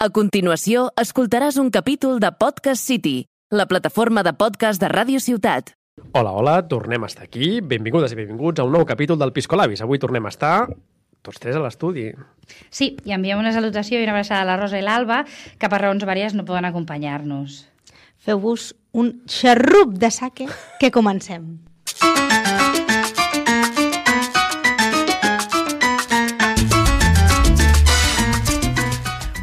A continuació, escoltaràs un capítol de Podcast City, la plataforma de podcast de Ràdio Ciutat. Hola, hola, tornem a estar aquí. Benvingudes i benvinguts a un nou capítol del Piscolabis. Avui tornem a estar tots tres a l'estudi. Sí, i enviem una salutació i una abraçada a la Rosa i l'Alba, que per raons vàries no poden acompanyar-nos. Feu-vos un xarrup de sake que comencem.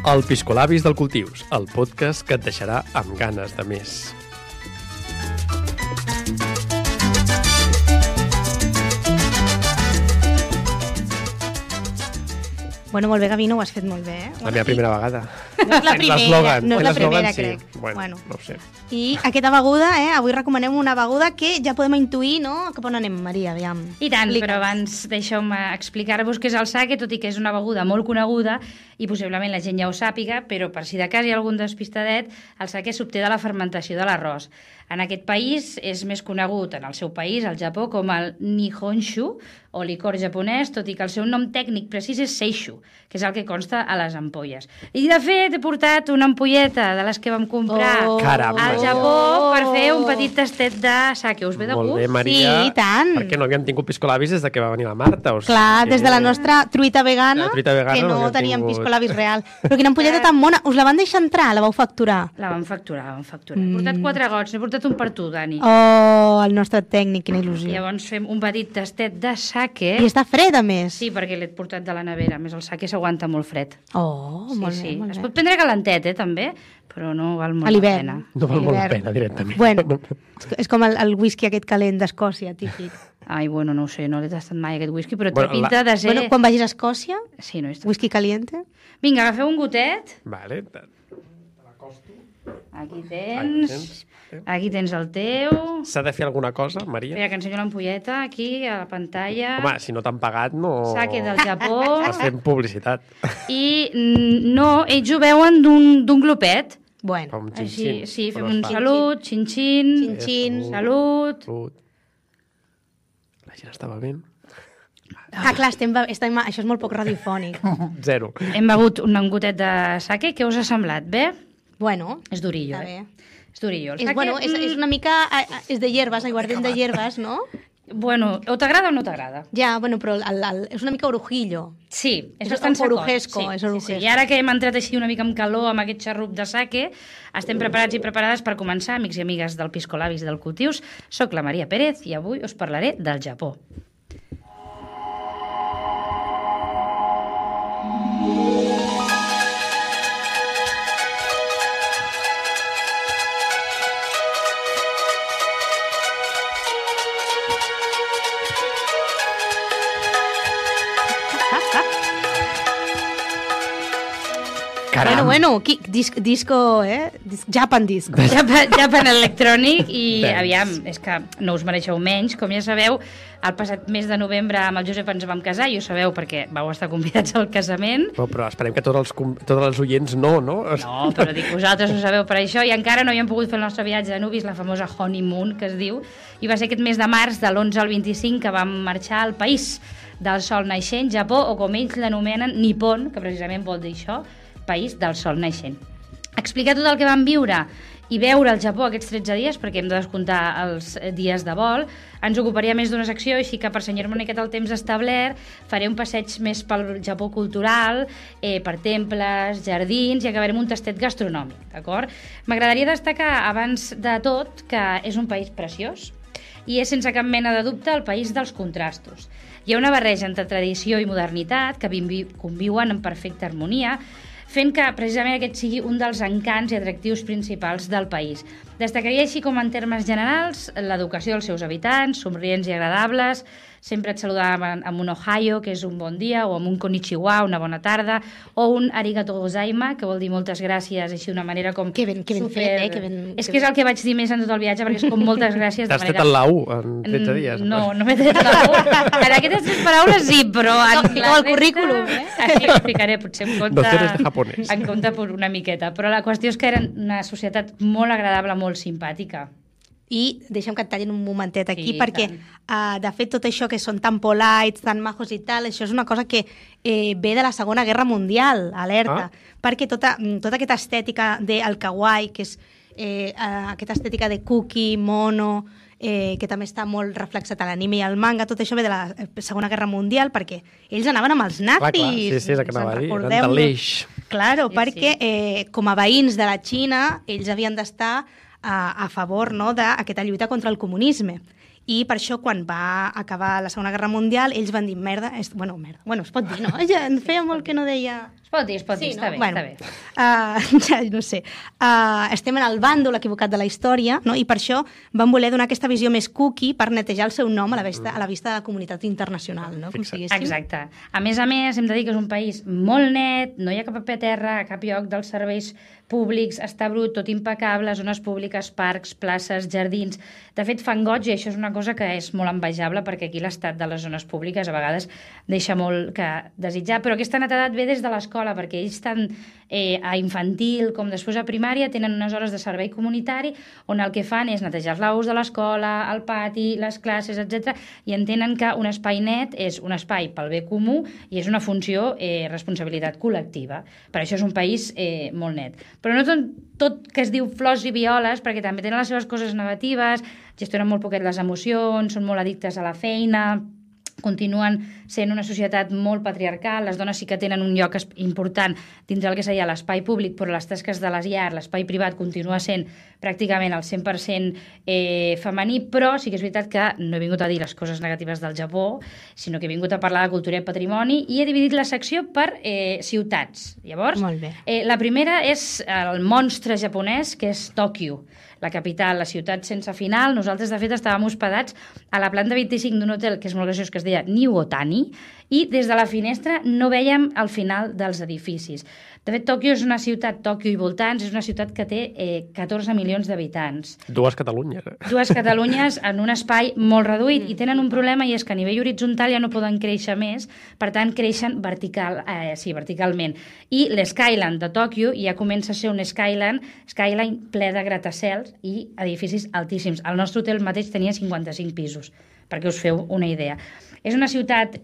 El Piscolabis del Cultius, el podcast que et deixarà amb ganes de més. Bueno, molt bé, Gavino, ho has fet molt bé, eh? La meva primera vegada. No és la primera, no és la primera, sí. crec. Bueno, no ho sé. I aquesta beguda, avui recomanem una beguda que ja podem intuir, no? Cap on anem, Maria, aviam. I tant, però abans deixeu-me explicar-vos què és el sake, tot i que és una beguda molt coneguda i possiblement la gent ja ho sàpiga, però per si de cas hi ha algun despistadet, el sake s'obté de la fermentació de l'arròs. En aquest país és més conegut, en el seu país, el Japó, com el Nihonshu, o licor japonès, tot i que el seu nom tècnic precís és Seishu, que és el que consta a les ampolles. I, de fet, he portat una ampolleta de les que vam comprar al Japó per fer un petit tastet de sake. Us ve de gust? Molt bé, Maria. Sí, i tant. Perquè no havíem tingut piscolabis des de que va venir la Marta. O sigui, Clar, des de la nostra truita vegana, que no havíem teníem tingut piscolabis real. Però quina ampolleta tan mona. Us la van deixar entrar? La vau facturar? La vam facturar. He portat 4 gots, n'he portat un per tu, Dani. Oh, el nostre tècnic, quina il·lusió. Llavors fem un petit tastet de sake. I està fred, a més. Sí, perquè l'he portat de la nevera. A més, el sake s'aguanta molt fred. Oh, molt bé, molt bé. Es pot prendre calentet, també, però no val molt la pena. No val molt la pena, directament. Bueno, és com el whisky aquest calent d'Escòcia, típic. Ai, bueno, no ho sé, no l'he tastat mai, aquest whisky, però té pinta de ser... Bueno, quan vagis a Escòcia, sí, no whisky caliente. Vinga, agafeu un gotet. Vale. Aquí tens el teu. S'ha de fer alguna cosa, Maria? Espera, que ensenyo l'ampolleta aquí, a la pantalla. Home, si no t'han pagat, no... Sake del Japó. Estàs fent publicitat. I no, ells ho veuen d'un glopet. Bueno. Així, sí, fem un salut, xin-xin. Xin-xin. Salut. La gent està bevent. Clar, això és molt poc radiofònic. 0. Hem begut un gotet de sake. Què us ha semblat? Bé? Bueno. És durillo, És durillo. És una mica... És de hierbes, aiguardent de hierbes, no? Bueno, o t'agrada o no t'agrada. Ja, bueno, però és una mica orujillo. Sí, és bastant sacot. Sí. I ara que hem entrat així una mica amb calor amb aquest xarrup de sake, estem preparats i preparades per començar, amics i amigues del Piscolabis del Cultius. Soc la Maria Pérez i avui us parlaré del Japó. Bueno, disco, Japan disco. Japan Electronic i, aviam, és que no us mereixeu menys. Com ja sabeu, el passat mes de novembre amb el Josep ens vam casar, i ho sabeu perquè vau estar convidats al casament. Però esperem que tots els oients no? No, però dic, vosaltres ho sabeu per això, i encara no havíem pogut fer el nostre viatge de nuvis, la famosa honeymoon, que es diu, i va ser aquest mes de març, de l'11 al 25, que vam marxar al país del sol naixent, Japó, o com ells l'anomenen, Nippon, que precisament vol dir això, país del sol naixent. Explicar tot el que vam viure i veure el Japó aquests 13 dies, perquè hem de descomptar els dies de vol, ens ocuparia més d'una secció, així que per senyar-me una miqueta el temps establert, faré un passeig més pel Japó cultural, per temples, jardins, i acabarem un tastet gastronòmic, d'acord? M'agradaria destacar, abans de tot, que és un país preciós, i és sense cap mena de dubte el país dels contrastos. Hi ha una barreja entre tradició i modernitat que conviuen en perfecta harmonia, fent que precisament aquest sigui un dels encants i atractius principals del país. Destacaria així com en termes generals l'educació dels seus habitants, somrients i agradables, sempre et saludaven amb un ohayo, que és un bon dia, o amb un konnichiwa, una bona tarda, o un arigato gozaima, que vol dir moltes gràcies, així d'una manera com... Que ben fet, És que és el que vaig dir més en tot el viatge, perquè és com moltes gràcies. T'has tret el la U en 13 dies? No m'he tret la U. En aquestes 3 paraules sí, però... No, el currículum, Així ho explicaré, potser en compte per una miqueta. Però la qüestió és que eren una societat molt agradable, molt simpàtica. I deixa'm que et tallin un momentet aquí, Sí, perquè, de fet, tot això que són tan polite, tan majos i tal, això és una cosa que ve de la Segona Guerra Mundial, alerta, perquè tota aquesta estètica del kawaii, que és aquesta estètica de cookie, mono, que també està molt reflexat a l'anime i al manga, tot això ve de la Segona Guerra Mundial, perquè ells anaven amb els nazis. Clar, sí, és el que anava a dir, eren de l'eix. Claro, perquè com a veïns de la Xina, ells havien d'estar a favor, no, d'aquesta lluita contra el comunisme. I per això, quan va acabar la Segona Guerra Mundial, ells van dir, merda, bueno, es pot dir, no? Ja feia molt que no deia... Es pot dir, està bé, bueno, està bé. Ja no sé. Estem en el bàndol equivocat de la història, no? I per això van voler donar aquesta visió més cookie per netejar el seu nom a la vista de la comunitat internacional, no? Com si diguéssim. Exacte. A més, hem de dir que és un país molt net, no hi ha cap paper a terra, a cap lloc dels serveis públics, està brut, tot impecable, zones públiques, parcs, places, jardins. De fet, fan goig, i això és una cosa que és molt envejable, perquè aquí l'estat de les zones públiques a vegades deixa molt que desitjar, però aquesta netedat ve des de l'escola, perquè ells tant a infantil com després a primària tenen unes hores de servei comunitari on el que fan és netejar els lavabos de l'escola, el pati, les classes, etc. i entenen que un espai net és un espai pel bé comú i és una funció responsabilitat col·lectiva. Per això és un país molt net. Però no tot que es diu flors i violes, perquè també tenen les seves coses negatives, gestionen molt poquet les emocions, són molt addictes a la feina, continuen sent una societat molt patriarcal, les dones sí que tenen un lloc important dins del que seria l'espai públic, però les tasques de les llars, l'espai privat continua sent pràcticament el 100% femení, però sí que és veritat que no he vingut a dir les coses negatives del Japó, sinó que he vingut a parlar de cultura i patrimoni i he dividit la secció per ciutats. Llavors, la primera és el monstre japonès, que és Tòquio, la capital, la ciutat sense final. Nosaltres, de fet, estàvem hospedats a la planta 25 d'un hotel, que és molt graciós, que es deia New Otani, i des de la finestra no vèiem el final dels edificis. De fet, Tòquio és una ciutat, Tòquio i voltants, és una ciutat que té 14 milions d'habitants. Dues Catalunyes. Dues Catalunyes en un espai molt reduït i tenen un problema, i és que a nivell horitzontal ja no poden créixer més, per tant creixen verticalment. I l'Skyline de Tòquio ja comença a ser un skyline ple de gratacels i edificis altíssims. El nostre hotel mateix tenia 55 pisos, perquè us feu una idea. És una ciutat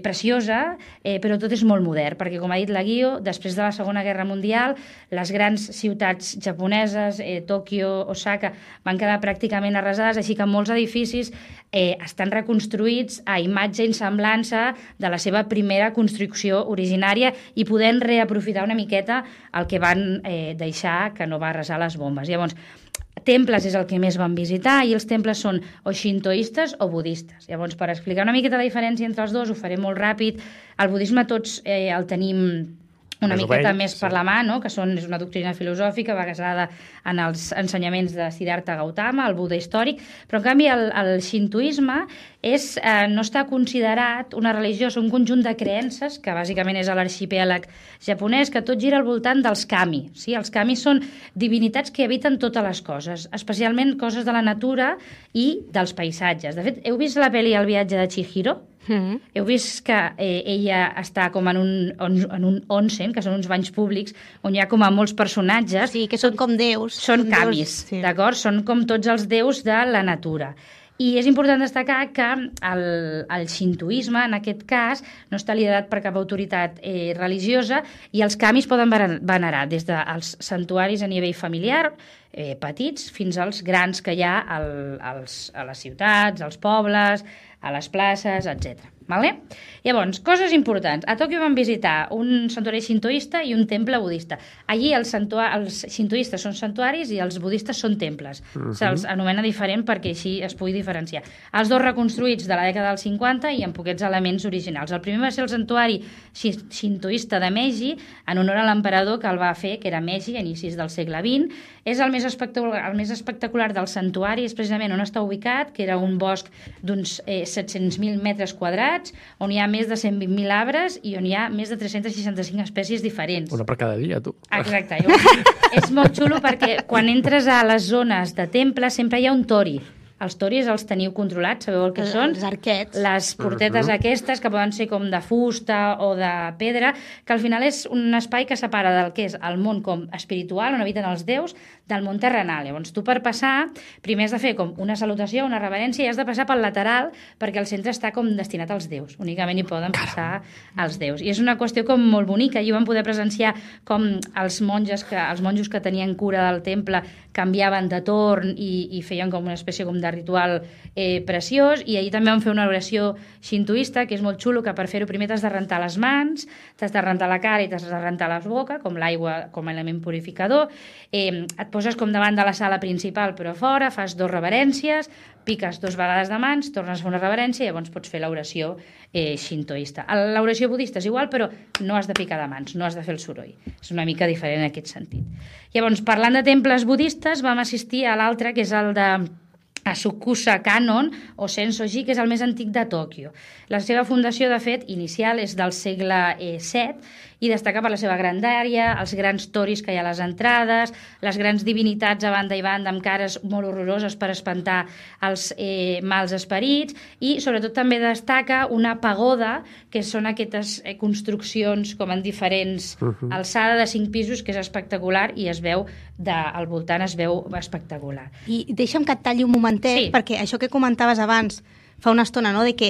preciosa, però tot és molt modern, perquè, com ha dit la Guio, després de la Segona Guerra Mundial, les grans ciutats japoneses, Tòquio, Osaka, van quedar pràcticament arrasades, així que molts edificis estan reconstruïts a imatge i semblança de la seva primera construcció originària i podent reaprofitar una miqueta el que van deixar, que no va arrasar les bombes. Llavors, temples és el que més van visitar, i els temples són o xintoistes o budistes. Llavors, per explicar una miqueta la diferència entre els dos, ho faré molt ràpid. El budisme tots el tenim una miqueta més per la mà, no? Que és una doctrina filosòfica basada en els ensenyaments de Siddhartha Gautama, el Buda històric, però en canvi el xintoisme no està considerat una religió, és un conjunt de creences, que bàsicament és l'arxipèlag japonès, que tot gira al voltant dels kami. Sí? Els kami són divinitats que habiten totes les coses, especialment coses de la natura i dels paisatges. De fet, heu vist la pel·li El viatge de Chihiro? Heu vist que ella està com en un onsen, que són uns banys públics, on hi ha com a molts personatges. Sí, que són com déus. Són kamis, d'acord? Són com tots els déus de la natura. I és important destacar que el xintoisme, en aquest cas, no està liderat per cap autoritat religiosa, i els kamis poden venerar des dels santuaris a nivell familiar, petits, fins als grans que hi ha a les ciutats, als pobles, a les places, etc. Vale? Llavors, coses importants. A Tòquio vam visitar un santuari xintoista i un temple budista. Allí els xintoistes són santuaris i els budistes són temples. Se'ls anomena diferent perquè així es pugui diferenciar. Els dos reconstruïts de la dècada dels 50 i amb poquets elements originals. El primer va ser el santuari xintoista de Meiji, en honor a l'emperador que el va fer, que era Meiji, a inicis del segle XX. És el més espectacular del santuari, és precisament on està ubicat, que era un bosc d'uns 700.000 metres quadrats, on hi ha més de 120.000 arbres i on hi ha més de 365 espècies diferents. Una per cada dia, tu. Exacte. És molt xulo perquè quan entres a les zones de temple sempre hi ha un tori els toris els teniu controlats, sabeu el que són? Els arquets. Les portetes aquestes, que poden ser com de fusta o de pedra, que al final és un espai que separa del que és el món com espiritual, on habiten els déus, del món terrenal. Llavors, tu per passar, primer has de fer com una salutació, una reverència, i has de passar pel lateral, perquè el centre està com destinat als déus. Únicament hi poden passar els déus. I és una qüestió com molt bonica. Allí vam poder presenciar com els monjos que tenien cura del temple canviaven de torn i feien com una espècie com de ritual preciós, i ahir també vam fer una oració xintoista, que és molt xulo, que per fer-ho primer t'has de rentar les mans, t'has de rentar la cara i t'has de rentar la boca, com l'aigua com a element purificador, et poses com davant de la sala principal però a fora, fas 2 reverències, piques 2 vegades de mans, tornes a fer una reverència i llavors pots fer l'oració xintoista. L'oració budista és igual, però no has de picar de mans, no has de fer el soroll. És una mica diferent en aquest sentit. Llavors, parlant de temples budistes, vam assistir a l'altre, que és el de Asakusa Kannon o Sensoji, que és el més antic de Tòquio. La seva fundació, de fet, inicial és del segle VII i destaca per la seva grandària, els grans toris que hi ha a les entrades, les grans divinitats a banda i banda amb cares molt horroroses per espantar els mals esperits, i sobretot també destaca una pagoda, que són aquestes construccions com en diferents alçada de 5 pisos, que és espectacular, i es veu al voltant es veu espectacular. I deixa'm que et talli un momentet, perquè això que comentaves abans fa una estona, no?, de que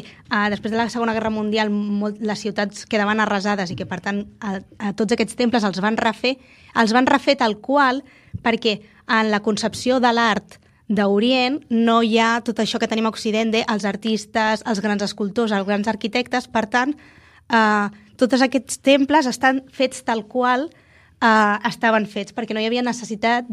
després de la Segona Guerra Mundial les ciutats quedaven arrasades i que, per tant, a tots aquests temples els van refer tal qual, perquè en la concepció de l'art d'Orient no hi ha tot això que tenim a Occident els artistes, els grans escultors, els grans arquitectes. Per tant, tots aquests temples estan fets tal qual estaven fets, perquè no hi havia necessitat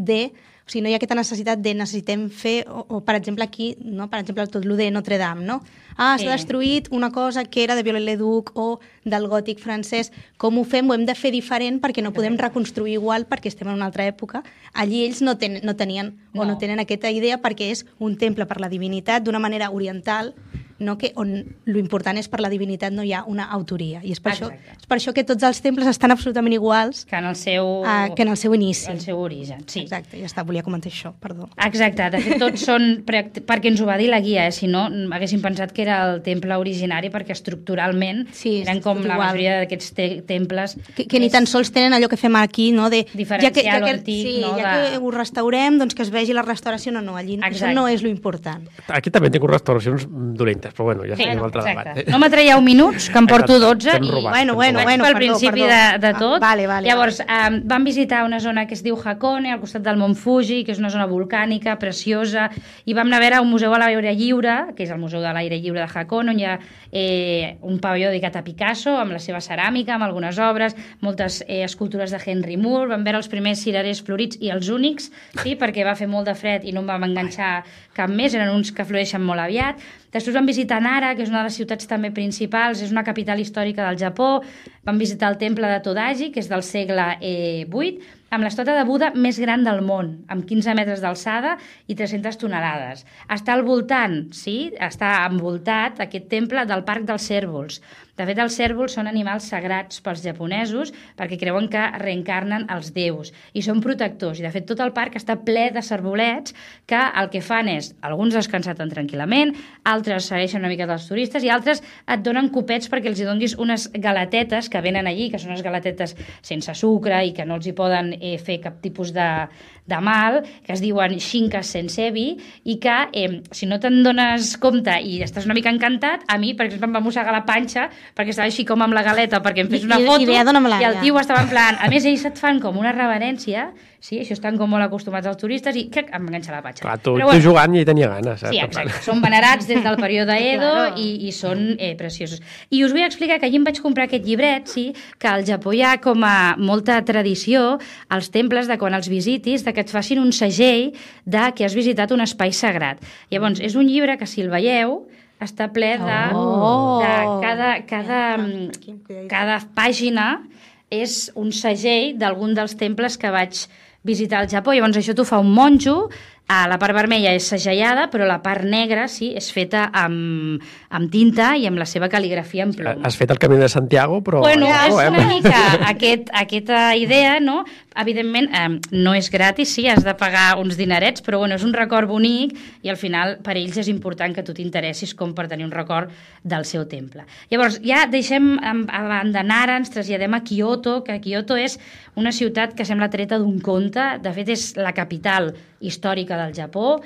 o sigui, no hi ha aquesta necessitat de necessitem fer, o per exemple aquí, no? Per exemple, tot lo de Notre Dame, no? S'ha destruït una cosa que era de Viollet-le-Duc o del gòtic francès. Com ho fem? Ho hem de fer diferent perquè no podem reconstruir igual perquè estem en una altra època. Allí ells no tenien o no tenen aquesta idea perquè és un temple per la divinitat d'una manera oriental, no? Que on l'important és per la divinitat no hi ha una autoria. I és per això que tots els temples estan absolutament iguals que en el seu inici. El seu origen, sí. Exacte, ja està, volia comentar això, perdó. Exacte, de fet tots són, perquè ens ho va dir la guia, si no haguéssim pensat que era el temple originari, perquè estructuralment eren com la majoria d'aquests temples. Que ni tan sols tenen allò que fem aquí, no? De diferenciar l'antic. Sí, ja que ho restaurem, doncs que es vegi la restauració. No, allí això no és l'important. Aquí també tinc restauracions dolentes, però bueno, ja és un altre debat. No m'atraieu minuts, que em porto 12 i bueno, vaig pel principi de tot. Vale. Llavors, vam visitar una zona que es diu Hakone, al costat del Mont Fuji, que és una zona volcànica, preciosa, i vam anar a veure un museu a l'aire lliure, que és el Museu de l'Aire Lliure de Hakone, on hi ha un pavelló dedicat a Picasso, amb la seva ceràmica, amb algunes obres, moltes escultures de Henry Moore, vam veure els primers cirerers florits i els únics, sí, perquè va fer molt de fred i no em vam enganxar cap més, eren uns que floreixen molt aviat. Després vam visitar Nara, que és una de les ciutats també principals, és una capital històrica del Japó. Vam visitar el temple de Todaji, que és del segle VIII, amb l'estàtua de Buda més gran del món, amb 15 metres d'alçada i 300 tonelades. Està al voltant, sí, està envoltat, aquest temple, del Parc dels Cérvols. De fet, els cérvols són animals sagrats pels japonesos perquè creuen que reencarnen els déus i són protectors. I, de fet, tot el parc està ple de cervolets que el que fan és, alguns descansen tranquil·lament, altres segueixen una mica dels turistes i altres et donen copets perquè els hi donis unes galatetes que venen allí, que són unes galatetes sense sucre i que no els hi poden fer cap tipus de mal, que es diuen Shinkas Sensebi, i que si no te'n dones compte i estàs una mica encantat, a mi, per exemple, em va mossegar la panxa perquè estava així com amb la galeta perquè em fes una foto i el tio estava en plan, a més ells et fan com una reverència, sí, això estan com molt acostumats als turistes i em va enganxar la panxa. Clar, tu jugant i tenia ganes. Sí, exacte, són venerats des del període Edo i són preciosos. I us vull explicar que allí em vaig comprar aquest llibret, sí, que al Japó hi ha com a molta tradició als temples de quan els visitis, de que et facin un segell de que has visitat un espai sagrat. Llavors, és un llibre que si el veieu està ple de cada pàgina és un segell d'algun dels temples que vaig visitar el Japó. Llavors això t'ho fa un monjo, la part vermella és segellada, però la part negra sí, és feta amb tinta i amb la seva cal·ligrafia en plom. Has fet el Camí de Santiago, però... Bueno, és una mica aquesta idea, no? Evidentment, no és gratis, sí, has de pagar uns dinerets, però bueno, és un record bonic i al final per ells és important que tu t'interessis com per tenir un record del seu temple. Llavors, ja deixem a banda Nara, ens traslladem a Kyoto, que Kyoto és una ciutat que sembla treta d'un conte, de fet és la capital històrica del Japó,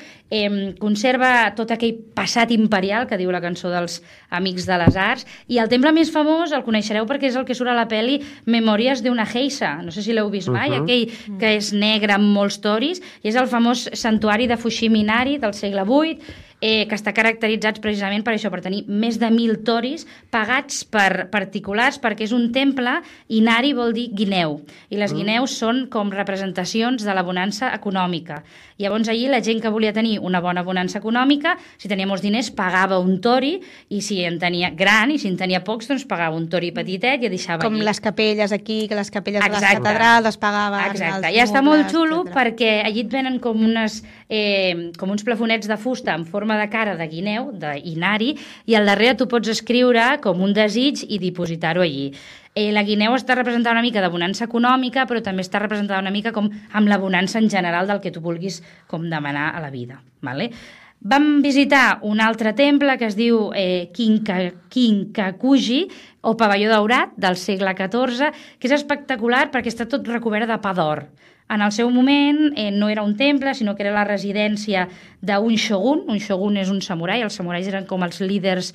conserva tot aquell passat imperial que diu la cançó dels Amics de les Arts, i el temple més famós el coneixereu perquè és el que surt a la pel·li Memòries d'una geisha, no sé si l'heu vist mai, aquell que és negre amb molts toris, i és el famós santuari de Fushimi Inari del segle VIII, que està caracteritzats precisament per això, per tenir més de 1.000 toris pagats per particulars, perquè és un temple, Inari vol dir guineu, i les guineus són com representacions de la bonança econòmica. Llavors allí la gent que volia tenir una bona bonança econòmica, si tenia molts diners pagava un tori, i si en tenia gran i si en tenia pocs, doncs pagava un tori petitet i el deixava com allí. Les capelles aquí, que les capelles de les catedrals es pagaven. Exacte, i està molt xulo perquè allí et venen com uns plafonets de fusta en forma de cara de guineu, d'Inari, i al darrere tu pots escriure com un desig i dipositar-ho allí. La guineu està representada una mica de bonança econòmica, però també està representada una mica com amb la bonança en general del que tu vulguis com demanar a la vida. Vale? Vam visitar un altre temple que es diu Kinkakuji, o pavelló daurat, del segle XIV, que és espectacular perquè està tot recobert de pa d'or. En el seu moment no era un temple, sinó que era la residència d'un shogun. Un shogun és un samurai, els samurais eren com els líders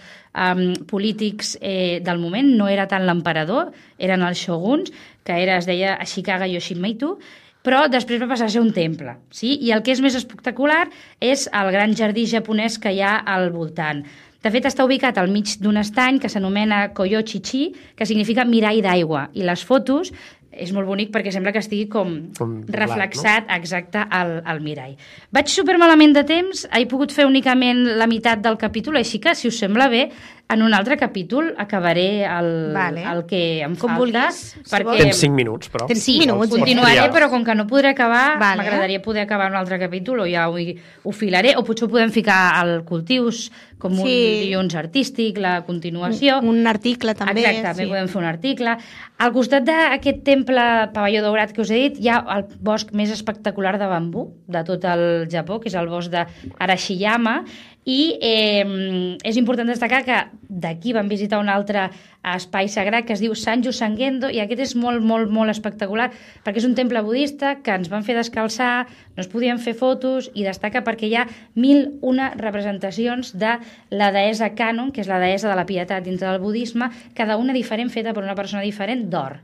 polítics del moment, no era tant l'emperador, eren els shoguns, que es deia Ashikaga Yoshimitsu, però després va passar a ser un temple. Sí? I el que és més espectacular és el gran jardí japonès que hi ha al voltant. De fet, està ubicat al mig d'un estany que s'anomena Koyochichi, que significa mirall d'aigua, i les fotos és molt bonic perquè sembla que estigui com reflexat, no? Exacte, al mirall. Vaig supermalament de temps, he pogut fer únicament la meitat del capítol, així que, si us sembla bé, en un altre capítol acabaré el que em falta. Vulguis, perquè... Tens 5 minuts, però. Tens 5 minuts. Continuaré, però com que no podré acabar, m'agradaria poder acabar un altre capítol, o ja ho filaré, o potser ho podem ficar al Cultius, com un dilluns artístic, la continuació. Un article, també. Exacte, també podem fer un article. Al costat d'aquest temple pavelló daurat que us he dit, hi ha el bosc més espectacular de bambú de tot el Japó, que és el bosc d'Arashiyama, i és important destacar que d'aquí vam visitar un altre espai sagrat que es diu Sanju Sangendo, i aquest és molt, molt, molt espectacular perquè és un temple budista que ens van fer descalçar, no es podien fer fotos, i destaca perquè hi ha 1.001 representacions de la deessa Kannon, que és la deessa de la pietat dintre del budisme, cada una diferent, feta per una persona diferent, d'or.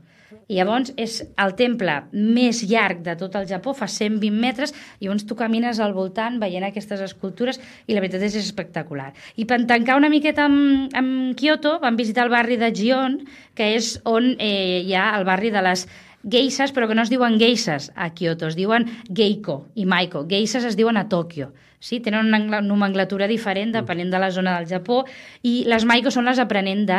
I llavors és el temple més llarg de tot el Japó, fa 120 metres, i llavors tu camines al voltant veient aquestes escultures i la veritat és espectacular. I per tancar una miqueta amb Kyoto, vam visitar el barri de Gion, que és on hi ha el barri de les geishas, però que no es diuen geishas a Kyoto, es diuen geiko i maiko. Geishas es diuen a Tòquio. Sí, tenen una nomenclatura diferent depenent de la zona del Japó, i les maiko són les aprenents de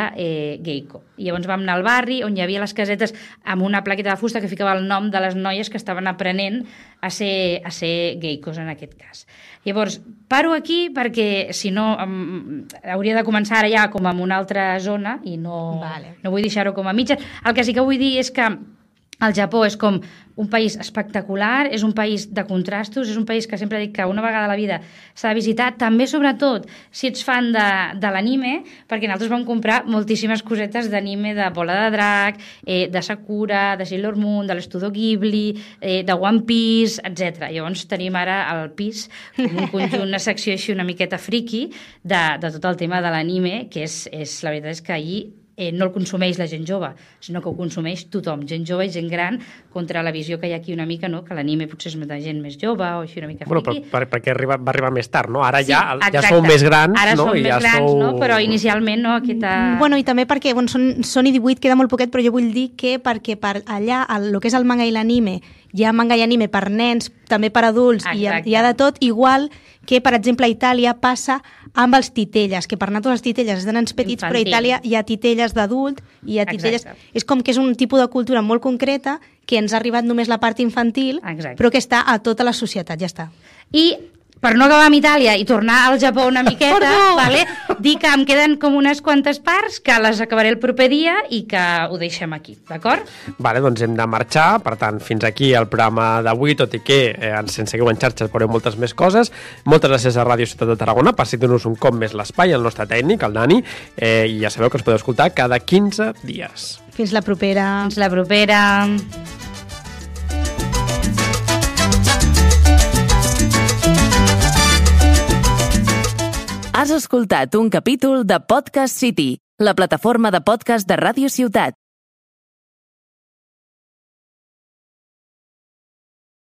geiko. I llavors vam anar al barri on hi havia les casetes amb una plaqueta de fusta que ficava el nom de les noies que estaven aprenent a ser geikos en aquest cas. Llavors, paro aquí perquè si no hauria de començar ara ja com en una altra zona i no vull deixar-ho com a mitja. El que sí que vull dir és que el Japó és com un país espectacular, és un país de contrastos, és un país que sempre dic que una vegada a la vida s'ha de visitar, també sobretot si ets fan de l'anime, perquè nosaltres vam comprar moltíssimes cosetes d'anime, de Bola de Drac, de Sakura, de Sailor Moon, de l'Estudio Ghibli, de One Piece, etc. Llavors tenim ara al pis com un conjunt, una secció així una miqueta friki de tot el tema de l'anime, que la veritat és que allí no el consumeix la gent jove, sinó que ho consumeix tothom, gent jove i gent gran, contra la visió que hi ha aquí una mica, no? Que l'anime potser és de gent més jove o així una mica friki. Perquè va arribar més tard, no? Ara ja sou més grans, ara no? Som més grans, no? Però inicialment no, aquesta... Bueno, i també perquè són i 18, queda molt poquet, però jo vull dir que perquè per allà, el que és el manga i l'anime, hi ha manga i anime per nens, també per adults, i hi ha de tot, igual que, per exemple, a Itàlia passa amb els titelles, que per nosaltres els titelles és de nens petits, però a Itàlia hi ha titelles d'adult, i hi ha titelles... És com que és un tipus de cultura molt concreta que ens ha arribat només la part infantil, Exacte. però que està a tota la societat, ja està. I per no acabar amb Itàlia i tornar al Japó una miqueta, vale? Dir que em queden com unes quantes parts, que les acabaré el proper dia i que ho deixem aquí, d'acord? Vale, doncs hem de marxar, per tant, fins aquí el programa d'avui, tot i que ens seguiu en xarxes veureu moltes més coses. Moltes gràcies a Ràdio Ciutat de Tarragona per cedir-nos un cop més l'espai, el nostre tècnic, el Dani, i ja sabeu que ens podeu escoltar cada 15 dies. Fins la propera. Fins la propera. Has escoltat un capítol de Podcast City, la plataforma de podcast de Ràdio Ciutat.